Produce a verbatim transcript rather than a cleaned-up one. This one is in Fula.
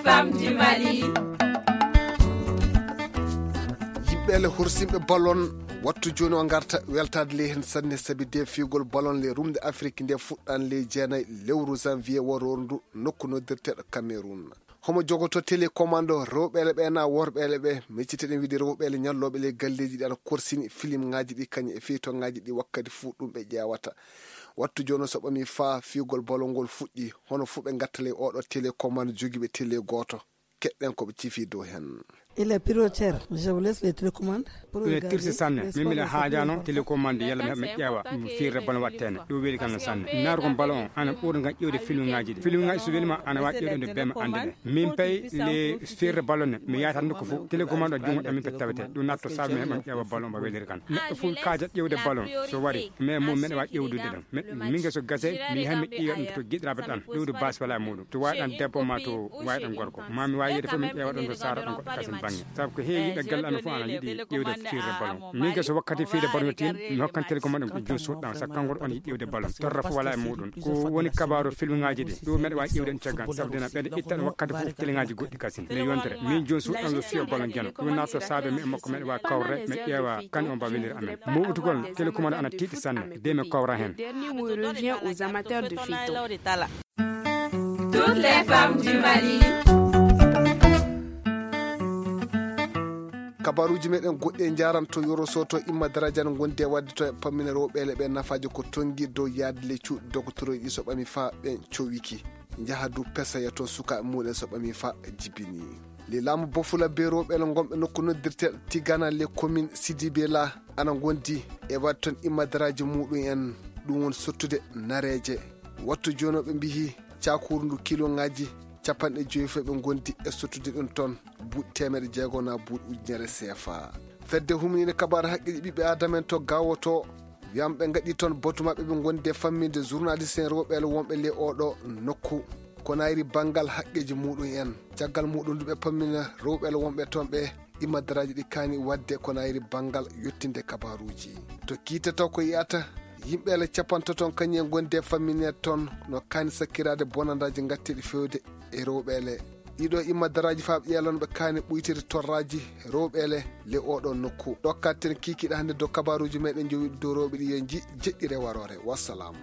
Femme du Mali. Yimɓe le horsimɓe ballon, wattu jooni o ngarta weltaade ley heen sanne, sabi de fiyugol ballon le rumde Afrik nde fuɗɗan ley jeenayi lewru janvier waroru ndu, nokku noddirteeɗo Cameroun. Homo jogoto télécommande o, rewɓeele ɓe na worɓeele ɓe? Micciteɗen wiide rewɓeele ñallooɓe ley galleeji ɗi ana korsini filimŋaaji ɗi, kañum e feytoŋaaji ɗi wakkati fuu ɗum ɓe ƴeewata. Wattu jooni o so ɓami faa fiyugol ballon ngol fuɗɗi, hono fuu ɓe ngatta ley oɗo télécommande jogiiɓe télé gooto. Keɗɗen ko ɓe cifi dow heen. Il est prioritaire, je vous laisse les télécommandes. Pour ɓe regarder tirsi sanne, les min mbiɗa sports haajano et télécommande, yalla mi heɓa mi ƴeewa ɗum firre ballon watteene. Ɗum weli kam no sanne. Naarugol ballon o ana ɓuri ngam ƴeewde filmuŋaaji ɗi. Filmuŋaaji so welima ana waawi ƴeewde bema annde ɗe. Min pay le firre ballon ne, mi yaata nokku fof. Télécommande o junngo ɗam min pay tawete. Ɗum natto saabe mi heɓa mi ƴeewa ballon mo weliri kan. Neɗɗo fof kaaja ƴeewde ballon so wari, mais mum meɗa waawi ƴeewdude ɗam. Min nge so gase, mi yaha mi ƴeewa ɗum to giɗiraaɓe ɗan. Ɗum ɗo baasi wala e muɗum. To waawi ɗan debbo ma to waawi ɗan gorko. Ma mi waawi yeede fof mi ƴeewa ɗon to saara ɗon goɗɗo kasin bannge. Sabu ko heewi yiɗa galle amen fof ana yiɗi ƴeewde firre ballon. Min nge so wakkati firre ballon yettin, mi hokkan télécommande ɗum joom suuɗ ɗam. Sabu kanko on yiɗi ƴeewde ballon. Torra fof wala e muɗum. Ko woni kabaaru filmuŋaaji ɗi. Ɗum meɗa waawi ƴeewde ɗum caggal. Sabu dena ɓeɗe itta ɗum wakkati fof téléŋaaji goɗɗi kasin. Mi yontere. Min joom suuɗ ɗam yo fiyo ballon jano. Ɗum natto saabe mi e makko meɗa waawi kawre, mi ƴeewa kan on ba weliri amen. Mo utugol télécommande ana tiiɗi sanne. De mi kawra heen. Dernier mot revient aux amateurs de feuilletons. Toutes les femmes du Mali. Kabaruuji meɗen goɗɗi e njaranto yoro soto imma daraja no gondi e wadde to e pammina rewɓeele ɓe nafaaji ko tongi dow yaade le cuuɗi dogotoroji ɗi so ɓami fa ɓen cowiki. Njaha du pesoya to sukaaɓe muɗen so ɓami fa jibini. Le laamu bofula be rewɓeele gonɓe nokku noddirteeɗo Tigana le commune Sidibé la ana gondi e wadde toon imma daraja muɗum en, ɗum woni sottude nareeje. Wattu jooni o ɓe mbiyi cakuru ndu kiloŋaaji capanɗe joyi fof ɓe gondi e sottude ɗum toon buuɗi teemedde jeego na buuɗi ujunere seefa. Fedde humniinde kabaru haqqeeji ɓiɓɓe aadama en to Gaawo to wiyam ɓe ngaɗi toon batu maɓɓe ɓe gondi e famminde journaliste en rewɓeele wonɓe le oɗo nokku. Ko nayri banngal haqqeeji muɗum en. Caggal muɗum ndu ɓe pammina rewɓeele wonɓe toon ɓe imma daraaji ɗi kaani wadde ko nayri banngal yottinde kabaruuji. To kiitata ko yiyata yimɓeele capantato toon kañum en gondi e famminde toon no kaani sakkiraade bonandaaji ngatteeɗi fewde e rewɓeele. Ɗiɗo imma daraaji faa ɓe ƴeelon ɓe kaani ɓuytiri torraaji rewɓeele le oɗo nokku. Ɗokkaten kiikiiɗe hannde dow kabaruuji meɗen jowi dow rewɓe ɗi yo nji jeɗɗire waroore. Wassalam.